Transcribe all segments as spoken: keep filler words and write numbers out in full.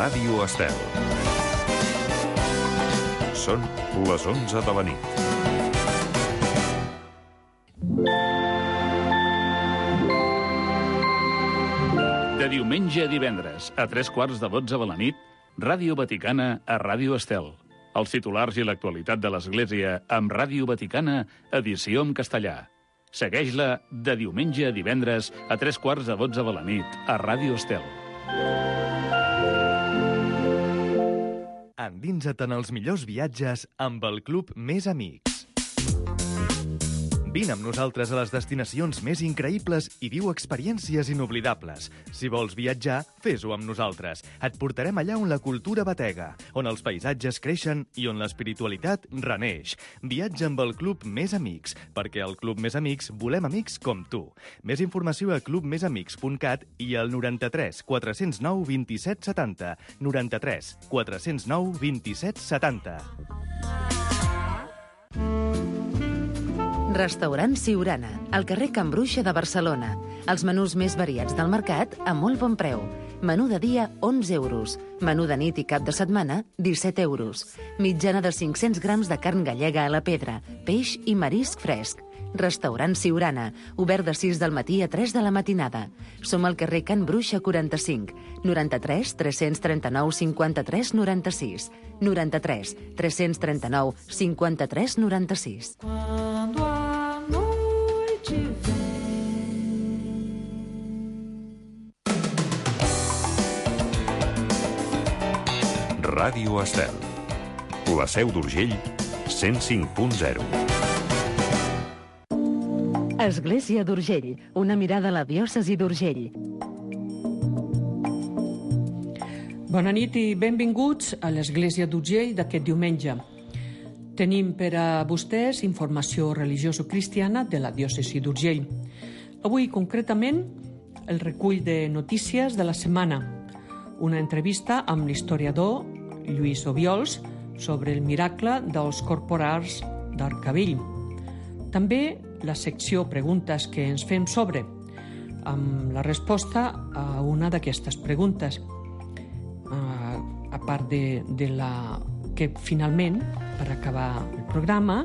Ràdio Estel. Són les onze de la nit. De diumenge a divendres, a tres quarts de dotze de la nit, Ràdio Vaticana a Ràdio Estel. Els titulars i l'actualitat de l'Església amb Ràdio Vaticana, edició en castellà. Segueix-la de diumenge a divendres a tres quarts de dotze de la nit a Ràdio Estel. Endinsa't en els millors viatges amb el Club Més Amics. Vine amb nosaltres a les destinacions més increïbles i viu experiències inoblidables. Si vols viatjar, fes-ho amb nosaltres. Et portarem allà on la cultura batega, on els paisatges creixen i on l'espiritualitat reneix. Viatja amb el Club Més Amics, perquè al Club Més Amics volem amics com tu. Més informació a club més amics punt cat i al noranta-tres quatre zero nou vint-i-set setanta. noranta-tres quatre zero nou vint-i-set setanta. Restaurant Siurana, al carrer Can Bruixa de Barcelona. Els menús més variats del mercat a molt bon preu. Menú de dia, onze euros. Menú de nit i cap de setmana, disset euros. Mitjana de cinc-cents grams de carn gallega a la pedra, peix i marisc fresc. Restaurant Siurana, obert de sis del matí a tres de la matinada. Som al carrer Can Bruixa quaranta-cinc, noranta-tres tres-cents trenta-nou cinquanta-tres noranta-sis, noranta-tres tres-cents trenta-nou cinquanta-tres noranta-sis. Ràdio Estel. La Seu d'Urgell, cent cinc punt zero. Església d'Urgell, una mirada a la diòcesi d'Urgell. Bona nit i benvinguts a l'Església d'Urgell d'aquest diumenge. Tenim per a vostès informació religioso-cristiana de la diòcesi d'Urgell. Avui, concretament, el recull de notícies de la setmana. Una entrevista amb l'historiador Lluís Obiols sobre el miracle dels corporals d'Arcavell. També la secció Preguntes que ens fem sobre, amb la resposta a una d'aquestes preguntes. A part de, de la que finalment, per acabar el programa,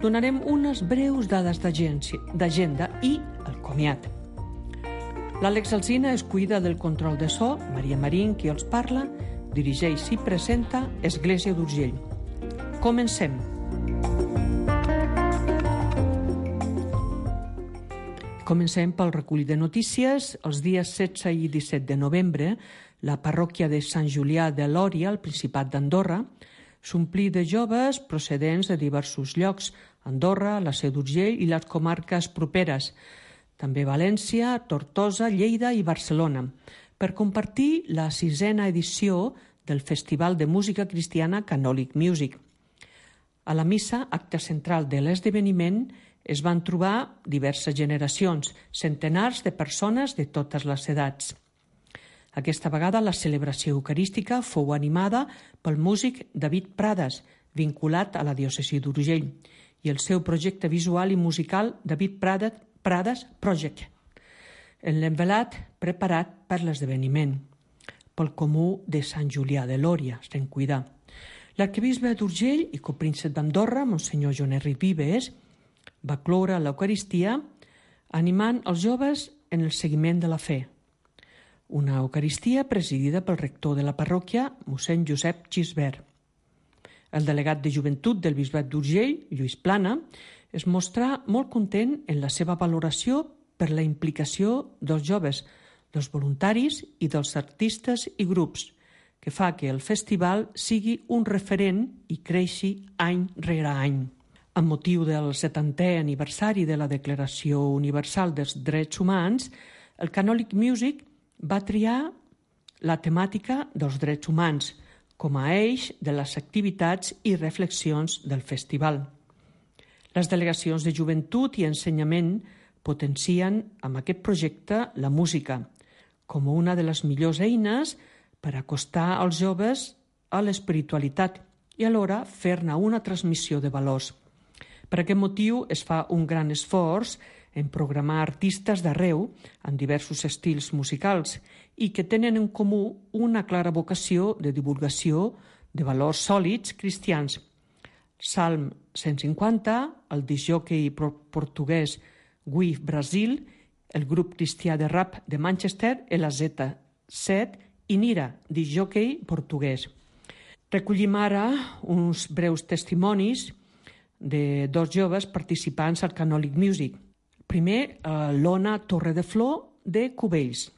donarem unes breus dades d'agenda i el comiat. L'Àlex Alsina es cuida del control de so, Maria Marín, qui els parla, dirigeix i presenta Església d'Urgell. Comencem. Comencem pel recull de notícies. Els dies setze i disset de novembre, la parròquia de Sant Julià de Lòria, al Principat d'Andorra, s'omplí de joves procedents de diversos llocs, Andorra, la Seu d'Urgell i les comarques properes, també València, Tortosa, Lleida i Barcelona, per compartir la sisena edició del Festival de Música Cristiana Catholic Music. A la missa, acte central de l'esdeveniment, es van trobar diverses generacions, centenars de persones de totes les edats. Aquesta vegada la celebració eucarística fou animada pel músic David Prades, vinculat a la diòcesi d'Urgell, i el seu projecte visual i musical David Prades, Prades Project, en l'envelat preparat per l'esdeveniment, pel comú de Sant Julià de Lòria, se'n cuida. L'arquebisbe d'Urgell i copríncep d'Andorra, Monsenyor Joan Enric Vives, va cloure l'Eucaristia animant els joves en el seguiment de la fe. Una Eucaristia presidida pel rector de la parròquia, mossèn Josep Gisbert. El delegat de joventut del bisbat d'Urgell, Lluís Plana, es mostrà molt content en la seva valoració per la implicació dels joves, dels voluntaris i dels artistes i grups, que fa que el festival sigui un referent i creixi any rere any. Amb motiu del setantè aniversari de la Declaració Universal dels Drets Humans, el Catholic Music va triar la temàtica dels drets humans com a eix de les activitats i reflexions del festival. Les delegacions de joventut i ensenyament potencien amb aquest projecte la música com una de les millors eines per acostar els joves a l'espiritualitat i alhora fer-ne una transmissió de valors. Per aquest motiu es fa un gran esforç en programar artistes d'arreu en diversos estils musicals i que tenen en comú una clara vocació de divulgació de valors sòlids cristians. Salm cent cinquanta, el discjòquei portuguès Gui Brasil, el grup cristià de rap de Manchester, el A Z set i Nira, discjòquei portuguès. Recollim ara uns breus testimonis de dos joves participants al Canòlic Music. Primer, l'Ona Torredeflor, de Cubells.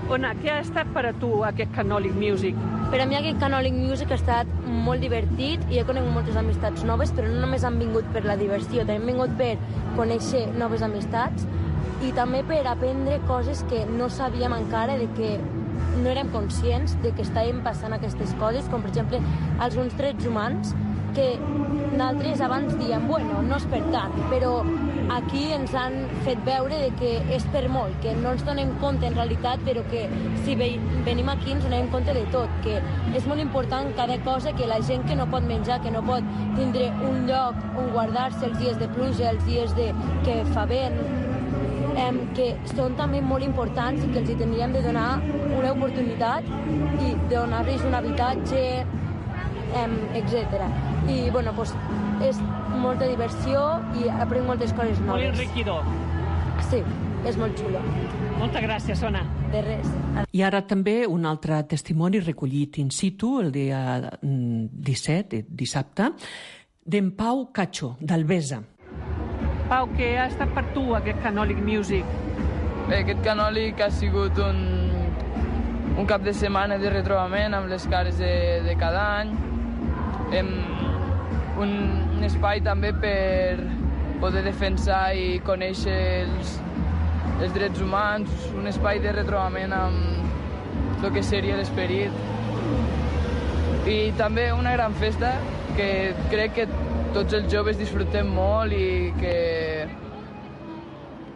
Ona, què ha estat per a tu aquest Canòlic Music? Per a mi aquest Canòlic Music ha estat molt divertit i he conegut moltes amistats noves, però no només han vingut per la diversió, també han vingut per conèixer noves amistats i també per aprendre coses que no sabíem encara, de que no érem conscients de que estàvem passant aquestes coses, com per exemple alguns drets humans, que nosaltres abans diem, bueno, no és per tant, però aquí ens han fet veure de que és per molt, que no ens donem compte en realitat, però que si venim aquí ens donem compte de tot, que és molt important cada cosa, que la gent que no pot menjar, que no pot tindre un lloc on guardar-se els dies de pluja, els dies de que fa vent, eh, que són també molt importants i que els hi tindríem de donar una oportunitat i de donar-los un habitatge, eh, etcètera. I, bueno, pues, és molta diversió i aprenc moltes coses noves. Molt enriquidor. Sí, és molt xulo. Moltes gràcies, Ona. De res. I ara també un altre testimoni recollit in situ, el dia disset, dissabte, d'en Pau Cacho, d'Albesa. Pau, què ha estat per tu aquest Canòlic Music? Bé, aquest Canòlic ha sigut un, un cap de setmana de retrobament amb les cares de, de cada any. Hem, un, un espai també per poder defensar i conèixer els, els drets humans, un espai de retrobament amb el que seria l'esperit. I també una gran festa que crec que tots els joves disfrutem molt i que,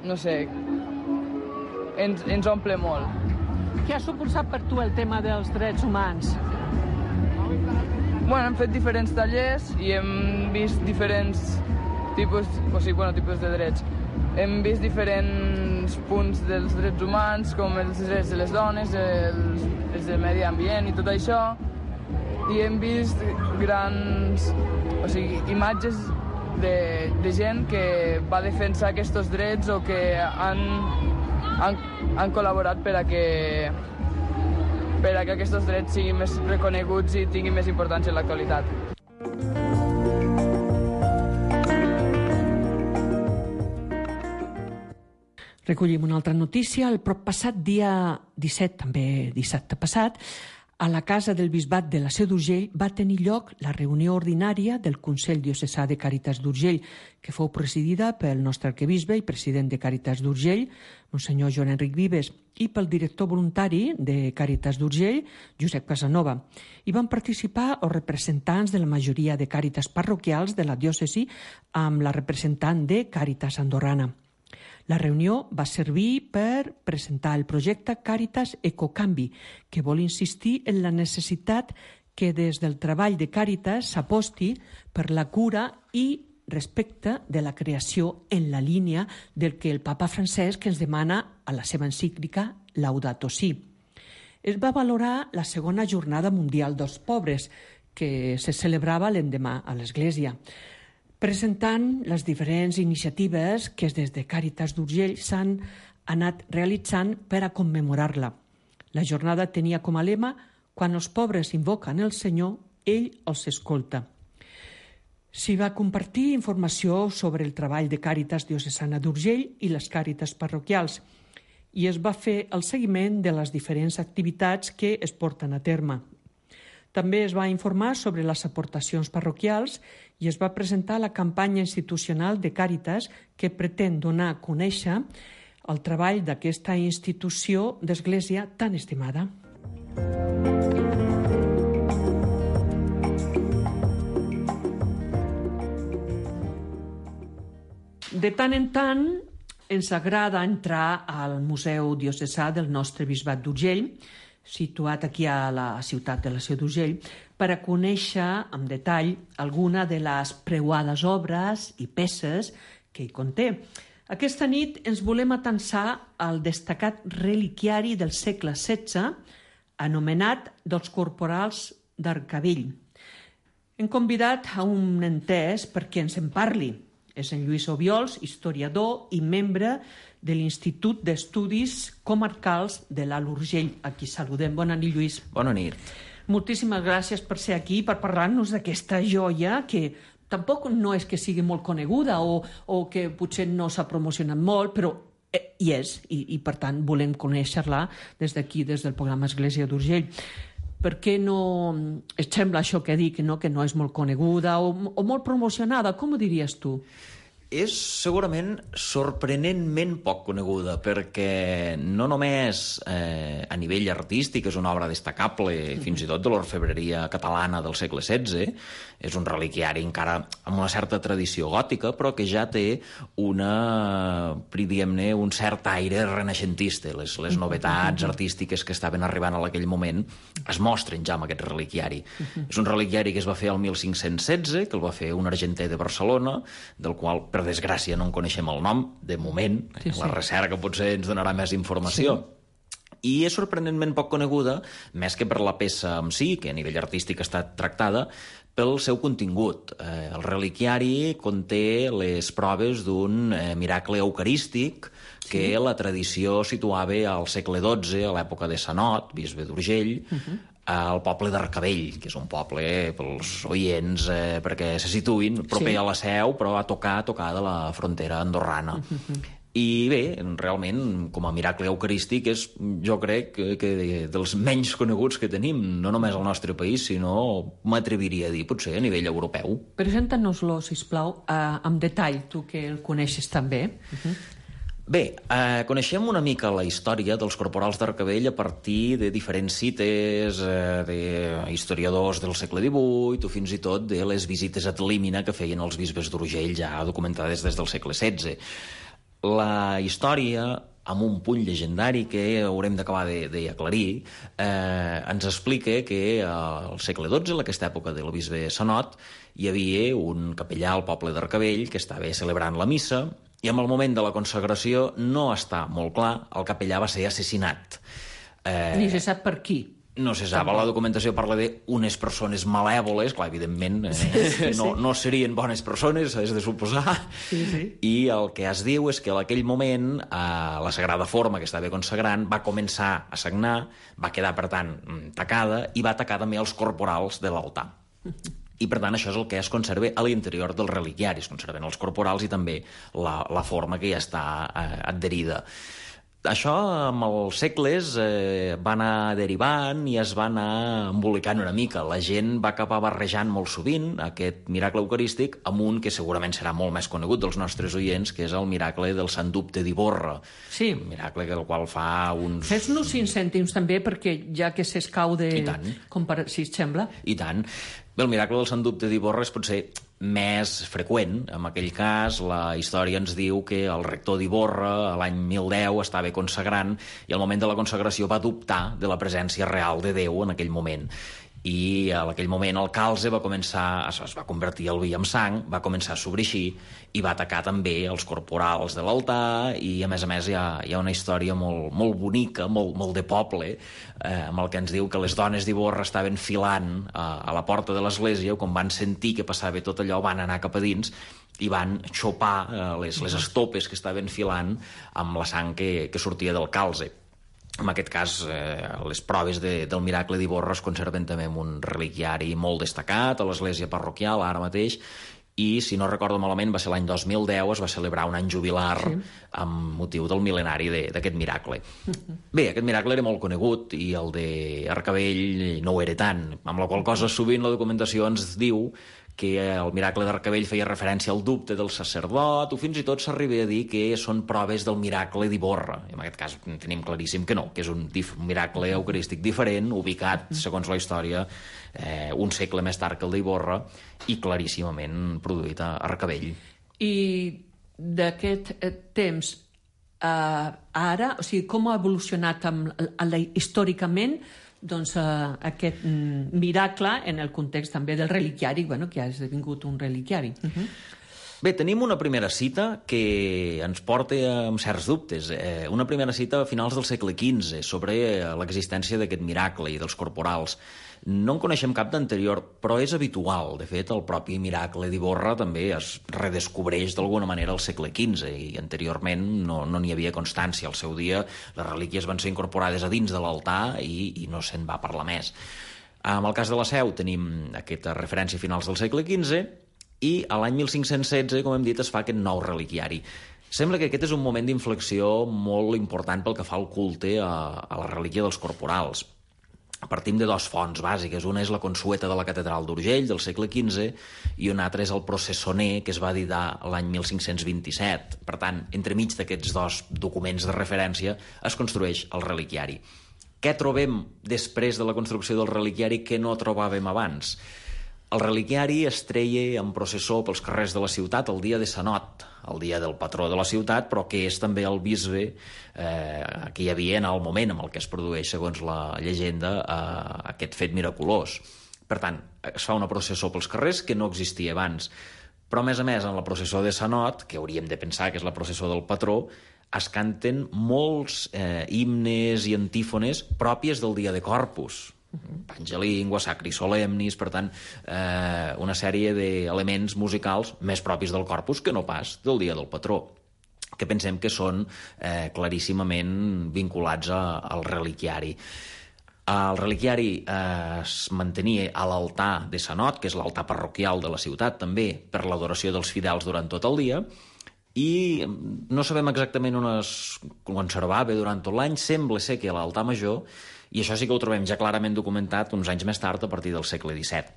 no sé, ens, ens omple molt. Què ha suposat per tu el tema dels drets humans? Bueno, hem fet diferents tallers i hem vist diferents tipus, o sigui, bueno, tipus de drets. Hem vist diferents punts dels drets humans, com els drets de les dones, els, els del medi ambient i tot això, i hem vist grans, o sigui, imatges de, de gent que va defensar aquests drets o que han, han, han col·laborat per a que per a que aquests drets siguin més reconeguts i tinguin més importància en l'actualitat. Recollim una altra notícia. El passat dia disset, també dissabte passat, a la Casa del Bisbat de la Seu d'Urgell va tenir lloc la reunió ordinària del Consell Diocesà de Càritas d'Urgell, que fou presidida pel nostre arquebisbe i president de Càritas d'Urgell, Monsenyor Joan Enric Vives, i pel director voluntari de Càritas d'Urgell, Josep Casanova. Hi van participar els representants de la majoria de càritas parroquials de la diòcesi amb la representant de Càritas Andorrana. La reunió va servir per presentar el projecte Càritas Ecocanvi, que vol insistir en la necessitat que des del treball de Càritas s'aposti per la cura i respecte de la creació en la línia del que el papa Francesc ens demana a la seva encíclica Laudato Si. Es va valorar la segona jornada mundial dels pobres, que se celebrava l'endemà a l'Església, presentant les diferents iniciatives que des de Càritas d'Urgell s'han anat realitzant per a commemorar-la. La jornada tenia com a lema «Quan els pobres invoquen el Senyor, ell els escolta». S'hi va compartir informació sobre el treball de Càritas Diocesana d'Urgell i les Càritas parroquials i es va fer el seguiment de les diferents activitats que es porten a terme. També es va informar sobre les aportacions parroquials i es va presentar la campanya institucional de Càritas que pretén donar a conèixer el treball d'aquesta institució d'església tan estimada. De tant en tant ens agrada entrar al Museu Diocesà del nostre Bisbat d'Urgell, situat aquí a la ciutat de la Seu d'Urgell, per a conèixer en detall alguna de les preuades obres i peces que hi conté. Aquesta nit ens volem atensar al destacat reliquiari del segle setze, anomenat dels corporals d'Arcavell. Hem convidat a un entès perquè ens en parli. És en Lluís Obiols, historiador i membre de l'Institut d'Estudis Comarcals de l'Alt Urgell. Aquí saludem. Bona nit, Lluís. Bona nit. Moltíssimes gràcies per ser aquí, per parlar-nos d'aquesta joia que tampoc no és que sigui molt coneguda o, o que potser no s'ha promocionat molt, però eh, hi és, i, i per tant volem conèixer-la des d'aquí, des del programa Església d'Urgell. Per què no et sembla això que dic, no? Que no és molt coneguda o, o molt promocionada? Com ho diries tu? És segurament sorprenentment poc coneguda, perquè no només eh, a nivell artístic és una obra destacable, fins i tot de l'orfebreria catalana del segle setze, és un reliquiari encara amb una certa tradició gòtica, però que ja té una, diguem-ne, un cert aire renaixentista. Les, les novetats artístiques que estaven arribant a aquell moment es mostren ja amb aquest reliquiari. És un reliquiari que es va fer el mil cinc-cents setze, que el va fer un argenter de Barcelona, del qual, per desgràcia, no en coneixem el nom, de moment. Sí, sí. La recerca potser ens donarà més informació. Sí. I és sorprenentment poc coneguda, més que per la peça en si, que a nivell artístic ha estat tractada, pel seu contingut. Eh, el reliquiari conté les proves d'un eh, miracle eucarístic que sí. La tradició situava al segle dotze, a l'època de Sanot, bisbe d'Urgell, uh-huh. al poble d'Arcavell, que és un poble pels oients eh, perquè se situïn proper sí. a la Seu, però a tocar, a tocar de la frontera andorrana. Uh-huh. I bé, realment, com a miracle eucarístic, és, jo crec, que, que dels menys coneguts que tenim, no només al nostre país, sinó, m'atreviria a dir, potser a nivell europeu. Presenta-nos-lo, sisplau, eh, amb detall, tu que el coneixes també. Uh-huh. Bé, eh, coneixem una mica la història dels corporals d'Arcavell a partir de diferents cites, eh, d'historiadors del segle divuit o fins i tot de les visites ad limina que feien els bisbes d'Urgell ja documentades des del segle setze. La història, amb un punt llegendari que haurem d'acabar d'aclarir, eh, ens explica que al segle dotze, en aquesta època del bisbe Sanot, hi havia un capellà al poble d'Arcavell que estava celebrant la missa i en el moment de la consagració no està molt clar, el capellà va ser assassinat. Eh, Ni se sap per qui. No se sap, la documentació parla d'unes persones malèvoles, clar, evidentment, eh, sí, sí, sí. No, no serien bones persones, és de suposar, sí, sí. I el que es diu és que en aquell moment eh, la Sagrada Forma que estava consagrant va començar a sagnar, va quedar, per tant, tacada, i va tacar també els corporals de l'altar. I, per tant, això és el que es conserva a l'interior del reliquiari. Es conserven els corporals i també la, la forma que ja està eh, adherida. Això, amb els segles, eh, va anar derivant i es va anar embolicant una mica. La gent va acabar barrejant molt sovint aquest miracle eucarístic amb un que segurament serà molt més conegut dels nostres oients, que és el miracle del Sant Dubte d'Ivorra. Sí. Un miracle del qual fa uns... Fes-nos cinc cèntims també, perquè ja que s'escau de... I tant. Compar... Si et sembla. I tant. Bé, el miracle del Sant Dubte d'Ivorra és potser més freqüent. En aquell cas, la història ens diu que el rector d'Ivorra, l'any mil deu, estava consagrant i al moment de la consagració va dubtar de la presència real de Déu en aquell moment. I en aquell moment el calze va començar, es va convertir el vi en sang, va començar a sobreixir i va atacar també els corporals de l'altar i, a més a més, hi ha, hi ha una història molt, molt bonica, molt, molt de poble, eh, amb el que ens diu que les dones d'Ivorra estaven filant a, a la porta de l'església, quan van sentir que passava tot allò, van anar cap a dins i van xopar eh, les, les estopes que estaven filant amb la sang que, que sortia del calze. En aquest cas, eh, les proves de, del miracle d'Ivorra es conserven també en un reliquiari molt destacat a l'església parroquial, ara mateix, i, si no recordo malament, va ser l'any dos mil deu, es va celebrar un any jubilar sí. amb motiu del mil·lenari d'aquest miracle. Bé, aquest miracle era molt conegut i el d'Arcavell no ho era tant, amb la qual cosa sovint la documentació ens diu que el miracle d'Arcavell feia referència al dubte del sacerdot, o fins i tot s'arriba a dir que són proves del miracle d'Ivorra. En aquest cas tenim claríssim que no, que és un, dif- un miracle eucarístic diferent, ubicat, segons la història, eh, un segle més tard que el d'Ivorra, i claríssimament produït a Arcavell. I d'aquest eh, temps eh, ara, o sigui, com ha evolucionat amb, a la, històricament doncs, uh, aquest mm, miracle en el context també del reliquiari, bueno, que ha esdevingut un reliquiari. Uh-huh. Bé, tenim una primera cita que ens porta amb certs dubtes. Eh, una primera cita a finals del segle quinze sobre l'existència d'aquest miracle i dels corporals. No en coneixem cap d'anterior, però és habitual. De fet, el propi miracle d'Ivorra també es redescobreix d'alguna manera al segle quinze i anteriorment no n'hi no havia constància. Al seu dia les relíquies van ser incorporades a dins de l'altar i, i no se'n va parlar més. En el cas de la Seu tenim aquesta referència a finals del segle quinze i a l'any mil cinc-cents setze, com hem dit, es fa aquest nou reliquiari. Sembla que aquest és un moment d'inflexió molt important pel que fa al culte a, a la relíquia dels corporals. Partim de dues fonts bàsiques. Una és la consueta de la catedral d'Urgell, del segle quinze, i una altra és el processoner, que es va editar l'any mil cinc-cents vint-i-set. Per tant, entremig d'aquests dos documents de referència es construeix el reliquiari. Què trobem després de la construcció del reliquiari que no trobàvem abans? El reliquiari es treia en processó pels carrers de la ciutat el dia de Sanot, el dia del patró de la ciutat, però que és també el bisbe eh, que hi havia en el moment en el que es produeix, segons la llegenda, eh, aquest fet miraculós. Per tant, es fa una processó pels carrers que no existia abans. Però, a més a més, en la processó de Sanot, que hauríem de pensar que és la processó del patró, es canten molts eh, himnes i antífones pròpies del dia de Corpus. Pangelingua, Sacri Solemnis, per tant, eh, una sèrie d'elements musicals més propis del Corpus que no pas del dia del patró, que pensem que són eh, claríssimament vinculats a, al reliquiari. El reliquiari eh, es mantenia a l'altar de Sanot, que és l'altar parroquial de la ciutat, també per l'adoració dels fidels durant tot el dia, i no sabem exactament on es conservava durant tot l'any. Sembla ser que a l'altar major, i això sí que ho trobem ja clarament documentat uns anys més tard, a partir del segle disset.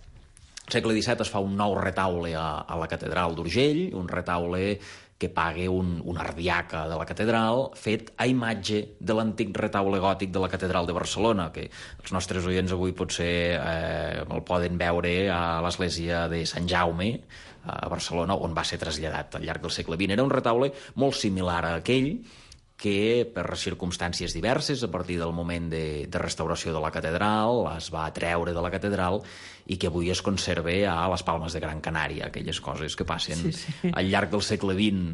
Al segle disset es fa un nou retaule a, a la catedral d'Urgell, un retaule que paga un, un ardiaca de la catedral, fet a imatge de l'antic retaule gòtic de la catedral de Barcelona, que els nostres oients avui potser eh, el poden veure a l'església de Sant Jaume, a Barcelona, on va ser traslladat al llarg del segle vint. Era un retaule molt similar a aquell, que per circumstàncies diverses, a partir del moment de, de restauració de la catedral, es va treure de la catedral i que avui es conserva a les Palmes de Gran Canària, aquelles coses que passen sí, sí. al llarg del segle vint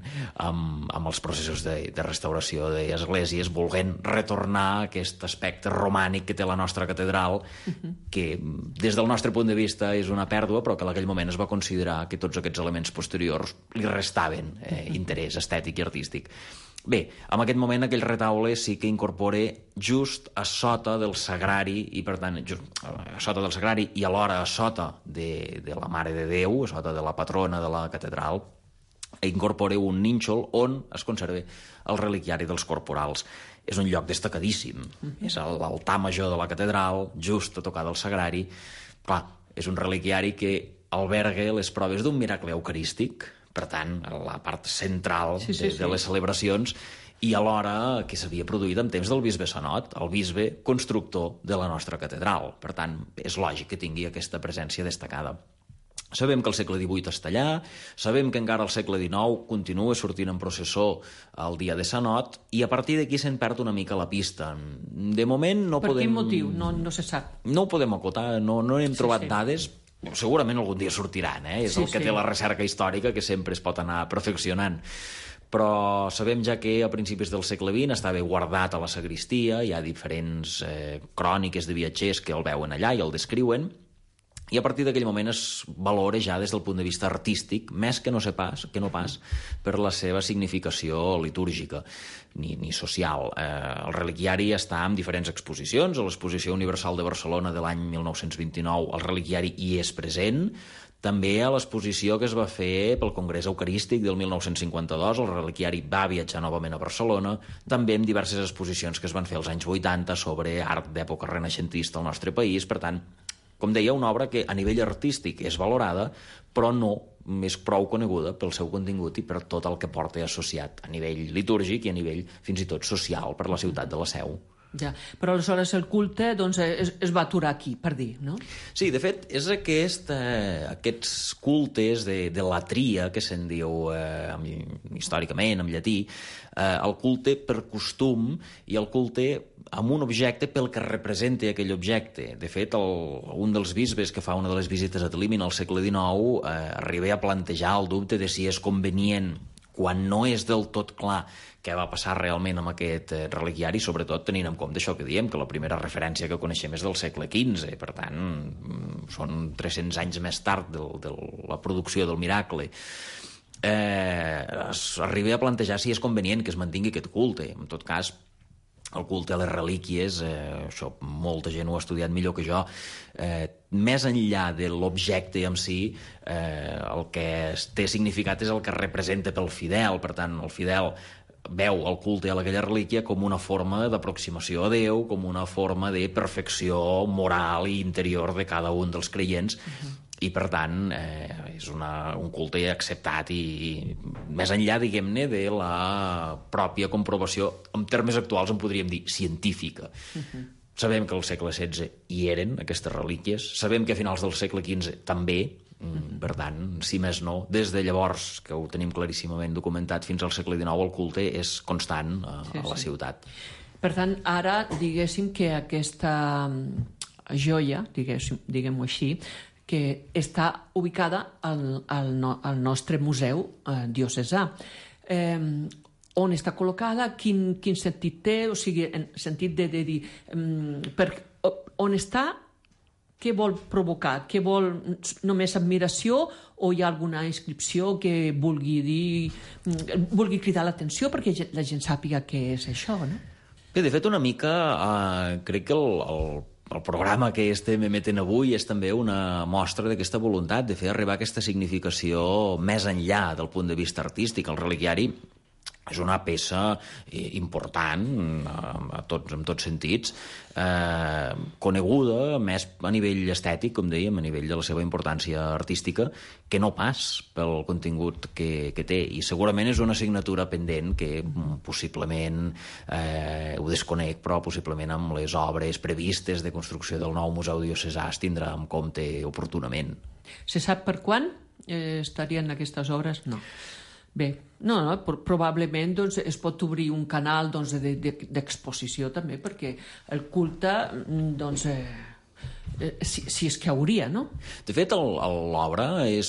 amb, amb els processos de, de restauració d'esglésies, volent retornar a aquest aspecte romànic que té la nostra catedral, uh-huh. que des del nostre punt de vista és una pèrdua, però que en aquell moment es va considerar que tots aquests elements posteriors li restaven eh, interès estètic i artístic. Bé, en aquest moment aquell retaule sí que incorpora just a sota del sagrari, i per tant, just a sota del sagrari i alhora a sota de, de la Mare de Déu, a sota de la patrona de la catedral, incorpora un nínxol on es conserva el reliquiari dels corporals. És un lloc destacadíssim. Mm-hmm. És l'altar major de la catedral, just a tocar del sagrari. Clar, és un reliquiari que alberga les proves d'un miracle eucarístic, per tant, la part central sí, sí, de, de les celebracions, i alhora que s'havia produït en temps del bisbe Sanot, el bisbe constructor de la nostra catedral. Per tant, és lògic que tingui aquesta presència destacada. Sabem que al segle divuit està allà, sabem que encara al segle dinou continua sortint en processó el dia de Sanot, i a partir d'aquí se'n perd una mica la pista. De moment no per podem... Per quin motiu? No, no se sap. No ho podem acotar, no, no hem sí, trobat sí. dades. Segurament algun dia sortiran, eh? És sí, el que sí. té la recerca històrica, que sempre es pot anar perfeccionant. Però sabem ja que a principis del segle vint estava guardat a la sagristia, hi ha diferents eh, cròniques de viatgers que el veuen allà i el descriuen, i a partir d'aquell moment es valora ja des del punt de vista artístic, més que no sé pas, que no pas per la seva significació litúrgica ni, ni social. Eh, el reliquiari està en diferents exposicions. A l'Exposició Universal de Barcelona de l'any mil nou-cents vint-i-nou el reliquiari hi és present. També a l'exposició que es va fer pel Congrés Eucarístic del mil nou-cents cinquanta-dos, el reliquiari va viatjar novament a Barcelona, també amb diverses exposicions que es van fer als anys vuitanta sobre art d'època renaixentista al nostre país. Per tant, com deia, una obra que a nivell artístic és valorada, però no és prou coneguda pel seu contingut i per tot el que porta associat a nivell litúrgic i a nivell fins i tot social per la ciutat de la Seu. Ja. Però aleshores el culte doncs, es, es va aturar aquí, per dir, no? Sí, de fet, és aquest, eh, aquests cultes de, de latria, que se'n diu eh, històricament, en llatí, eh, el culte per costum i el culte amb un objecte pel que representa aquell objecte. De fet, el, un dels bisbes que fa una de les visites a Tlimmin al segle dinou eh, arriba a plantejar el dubte de si és convenient, quan no és del tot clar què va passar realment amb aquest eh, reliquiari, sobretot tenint en compte això que diem, que la primera referència que coneixem és del segle quinze, per tant, són tres-cents anys més tard de, de la producció del miracle. Eh, es arriba a plantejar si és convenient que es mantingui aquest culte. En tot cas, el culte a les relíquies, eh, això molta gent ho ha estudiat millor que jo, eh, més enllà de l'objecte en si, eh, el que té significat és el que representa pel fidel. Per tant, el fidel veu el culte a aquella relíquia com una forma d'aproximació a Déu, com una forma de perfecció moral i interior de cada un dels creients, uh-huh. i per tant eh, és una, un culte acceptat i, i més enllà, diguem-ne, de la pròpia comprovació, en termes actuals en podríem dir científica. Uh-huh. Sabem que al segle setze hi eren aquestes relíquies, sabem que a finals del segle quinze també, uh-huh. per tant, si més no, des de llavors, que ho tenim claríssimament documentat, fins al segle dinou el culte és constant a, sí, a la sí. ciutat. Per tant, ara, diguéssim que aquesta joia, diguéssim, diguem-ho així, que està ubicada al, al, no, al nostre museu eh, diocesà. Eh, on està col·locada, quin, quin sentit té, o sigui, en sentit de, de dir, um, per, on està, què vol provocar, què vol, només admiració o hi ha alguna inscripció que vulgui dir, vulgui cridar l'atenció perquè la gent sàpiga què és això, no? Bé, de fet, una mica, eh, crec que el, el El programa que estem emetent avui és també una mostra d'aquesta voluntat de fer arribar aquesta significació més enllà del punt de vista artístic. El reliquiari és una peça important a tots, en tots sentits, eh, coneguda més a nivell estètic, com dèiem, a nivell de la seva importància artística, que no pas pel contingut que, que té. I segurament és una assignatura pendent que possiblement, eh, ho desconec, però possiblement amb les obres previstes de construcció del nou Museu Diocesà es tindrà en compte oportunament. Se sap per quan eh, estarien aquestes obres? No. Bé, no, no, probablement doncs, es pot obrir un canal doncs, de, de, d'exposició també, perquè el culte doncs, eh, si, si és que hauria, no? De fet, el, el, l'obra és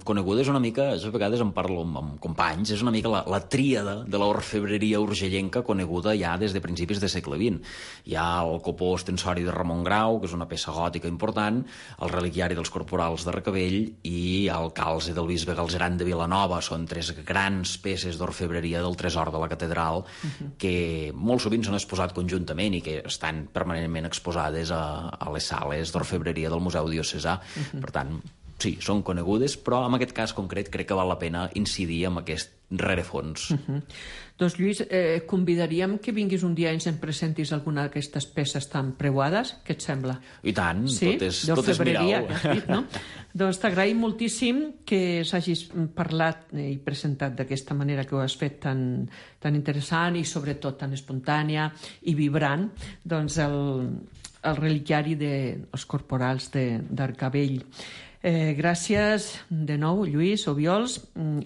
coneguda, és una mica, a vegades en parlo amb, amb companys, és una mica la, la tríada de l'orfebreria urgellenca coneguda ja des de principis del segle vint. Hi ha el copó ostensori de Ramon Grau, que és una peça gòtica important, el reliquiari dels corporals de Recabell i el calze del bisbe Galzeran de Vilanova. Són tres grans peces d'orfebreria del tresor de la catedral uh-huh. que molt sovint s'han exposat conjuntament i que estan permanentment exposades a, a les sales d'orfebreria del Museu Diocesà. Uh-huh. Per tant, sí, són conegudes, però en aquest cas concret crec que val la pena incidir en aquest rerefons. Uh-huh. Doncs, Lluís, eh, convidaríem que vinguis un dia i ens en presentis alguna d'aquestes peces tan preuades. Què et sembla? I tant, sí? tot és, tot és mirau. Dit, no? Doncs t'agraïm moltíssim que s'hagis parlat i presentat d'aquesta manera que ho has fet tan, tan interessant i sobretot tan espontània i vibrant, doncs el, el reliquiari dels de, corporals d'Arcavell. Eh, gràcies de nou, Lluís Obiols,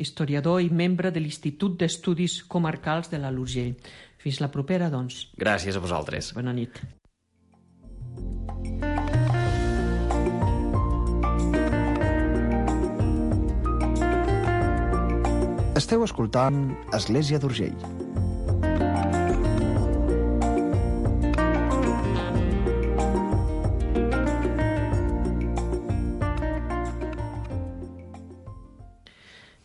historiador i membre de l'Institut d'Estudis Comarcals de l'Alt Urgell. Fins la propera, doncs. Gràcies a vosaltres. Bona nit. Esteu escoltant Església d'Urgell.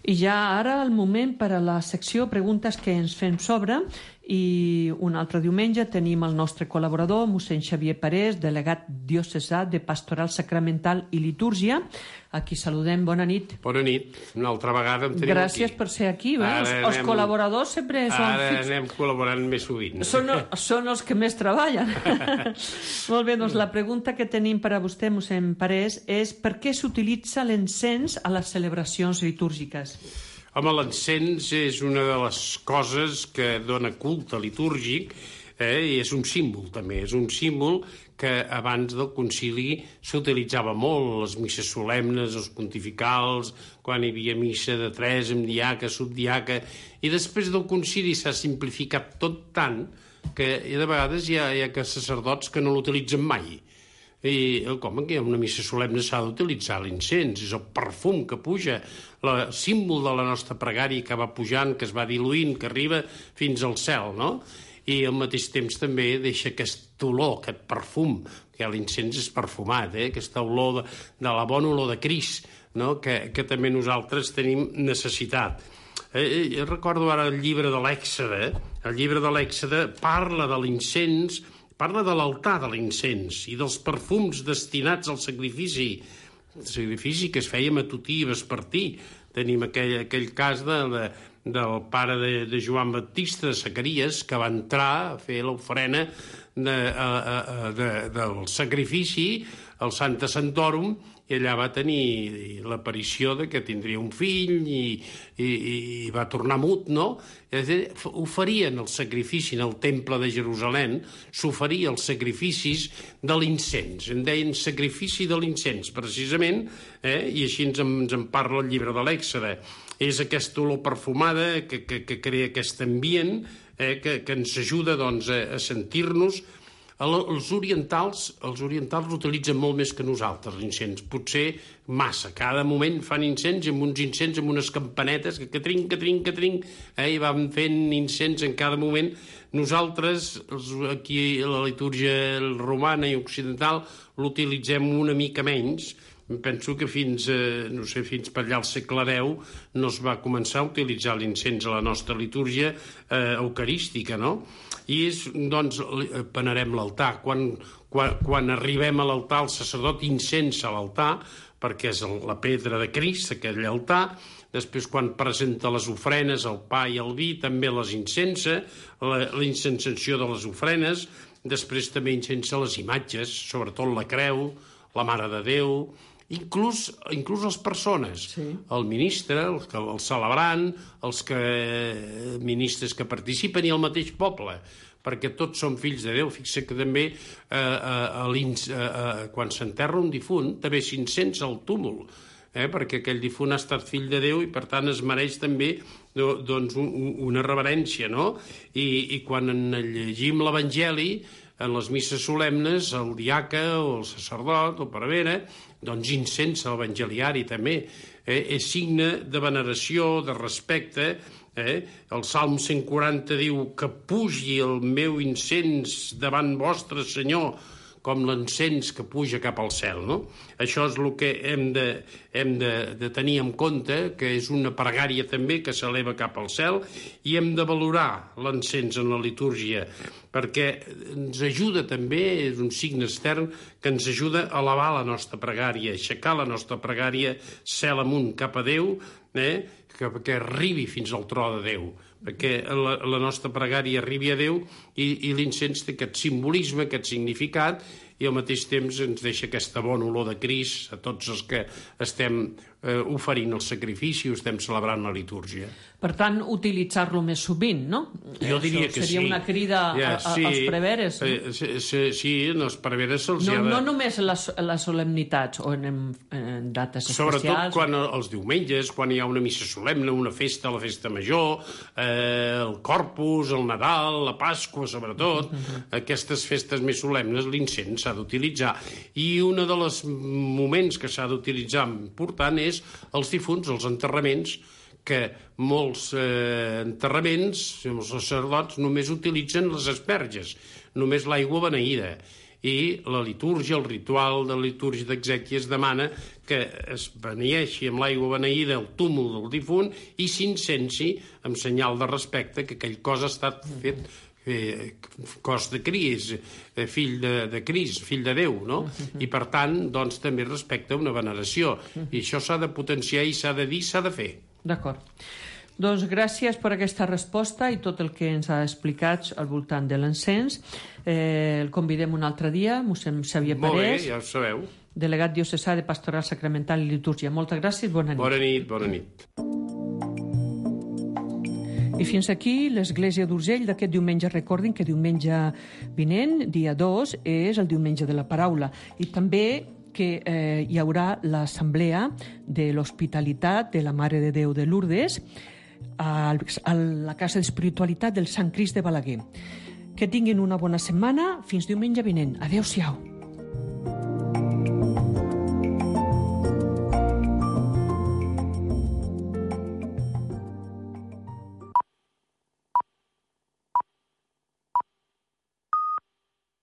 I ja ara el moment per a la secció Preguntes que ens fem sobre, i un altre diumenge tenim el nostre col·laborador, mossèn Xavier Parés, delegat diocesà de Pastoral Sacramental i Litúrgia, a qui saludem. Bona nit. Bona nit. Una altra vegada em tenim Gràcies aquí. per ser aquí. Bé? Els, anem, els col·laboradors sempre són... Ara fix... anem col·laborant més sovint. Són, són els que més treballen. Molt bé, doncs la pregunta que tenim per a vostè, mossèn Parés, és per què s'utilitza l'encens a les celebracions litúrgiques? Home, l'encens és una de les coses que dona culte litúrgic Eh? I és un símbol, també. És un símbol que abans del concili s'utilitzava molt, les misses solemnes, els pontificals, quan hi havia missa de tres, amb diaca, subdiaca, i després del concili s'ha simplificat tot tant que de vegades hi ha, hi ha sacerdots que no l'utilitzen mai. I com que hi ha una missa solemne s'ha d'utilitzar l'incens, és el perfum que puja, el símbol de la nostra pregària que va pujant, que es va diluint, que arriba fins al cel, no? I al mateix temps també deixa aquest olor, aquest perfum, que l'incens és perfumat, eh? Aquesta olor de, de la bona olor de Crist, no? que, que també nosaltres tenim necessitat. Eh, eh, recordo ara el llibre de l'Èxode, el llibre de l'Èxode parla de l'incens, parla de l'altar de l'incens i dels perfums destinats al sacrifici, el sacrifici que es feia matutí i vespertí. Tenim aquell, aquell cas de, de, del pare de, de Joan Baptista, de Zacaries, que va entrar a fer l'ofrena de, a, a, de, del sacrifici al Santa Santorum, i allà va tenir l'aparició de que tindria un fill i, i, i va tornar mut, no? És a dir, oferien el sacrifici en el temple de Jerusalem, s'oferia els sacrificis de l'incens, en deien sacrifici de l'incens, precisament, eh? I així ens en, ens en parla el llibre de l'Èxode. És aquesta olor perfumada que, que, que crea aquest ambient eh? que, que ens ajuda doncs, a, a sentir-nos. Els orientals els orientals l'utilitzen molt més que nosaltres, l'incens. Potser massa. Cada moment fan incens amb uns incens, amb unes campanetes que, que trinc, que trinc, que trinc, eh, i van fent incens en cada moment. Nosaltres, aquí a la litúrgia romana i occidental, l'utilitzem una mica menys. Penso que fins, eh, no sé, fins per allà al segle deu no es va començar a utilitzar l'incens a la nostra litúrgia eh, eucarística, no? I és, doncs, venerem l'altar. Quan, quan, quan arribem a l'altar, el sacerdot incensa l'altar, perquè és la pedra de Crist, aquell altar. Després, quan presenta les ofrenes, el pa i el vi, també les incensa, la, la incensació de les ofrenes. Després també incensa les imatges, sobretot la creu, la Mare de Déu, inclús, inclús les persones, sí. El ministre, el, el celebrant, els que, ministres que participen i el mateix poble, perquè tots són fills de Déu. Fixa que també eh, eh, eh, quan s'enterra un difunt també s'incensa el túmul, eh, perquè aquell difunt ha estat fill de Déu i per tant es mereix també doncs, un, una reverència, no? I, i quan llegim l'Evangeli, en les misses solemnes, el diaca o el sacerdot o prevere, doncs incensa l'evangeliari també. Eh? És signe de veneració, de respecte. Eh? El Salm cent quaranta diu que pugi el meu incens davant vostre, Senyor, com l'encens que puja cap al cel, no? Això és el que hem de, hem de, de tenir en compte, que és una pregària també que s'eleva cap al cel, i hem de valorar l'encens en la litúrgia, perquè ens ajuda també, és un signe extern, que ens ajuda a elevar la nostra pregària, a aixecar la nostra pregària cel amunt cap a Déu, eh? que, que arribi fins al tro de Déu, perquè la, la nostra pregària arribi a Déu i, i l'incens té aquest simbolisme, aquest significat, i al mateix temps ens deixa aquesta bona olor de Crist a tots els que estem eh, oferint el sacrifici o estem celebrant la litúrgia. Per tant, utilitzar-lo més sovint, no? Jo diria Això que seria sí. una crida ja, a, a, sí, als preveres. Eh, sí, sí, sí, als preveres se'ls no, ha de... No només en les, en les solemnitats o en, en dates especials. Sobretot quan els diumenges, quan hi ha una missa solemne, una festa, la festa major, eh, el Corpus, el Nadal, la Pasqua, sobretot, uh-huh. Aquestes festes més solemnes, l'incens s'ha d'utilitzar. I un dels moments que s'ha d'utilitzar important és els difunts, els enterraments, que molts eh, enterraments, els sacerdots, només utilitzen les asperges, només l'aigua beneïda. I la litúrgia, el ritual de la litúrgia d'exèquies demana que es beneeixi amb l'aigua beneïda el túmul del difunt i s'incensi amb senyal de respecte que aquell cos ha estat fet eh, cos de Crist, eh, fill de, de Crist, fill de Déu, no? I per tant, doncs, també respecta una veneració. I això s'ha de potenciar i s'ha de dir, s'ha de fer. D'acord. Doncs gràcies per aquesta resposta i tot el que ens ha explicat al voltant de l'encens. Eh, el convidem un altre dia, mossèn Xavier Parés. Molt bé, ja ho sabeu. Delegat diocesà de Pastoral Sacramental i Litúrgia. Moltes gràcies, bona nit. Bona nit, bona nit. I fins aquí l'Església d'Urgell d'aquest diumenge. Recordin que diumenge vinent, dia dos, és el diumenge de la paraula. I també que eh, hi haurà l'assemblea de l'Hospitalitat de la Mare de Déu de Lourdes a, a la Casa d'Espiritualitat del Sant Crist de Balaguer. Que tinguin una bona setmana. Fins diumenge vinent. Adéu-siau.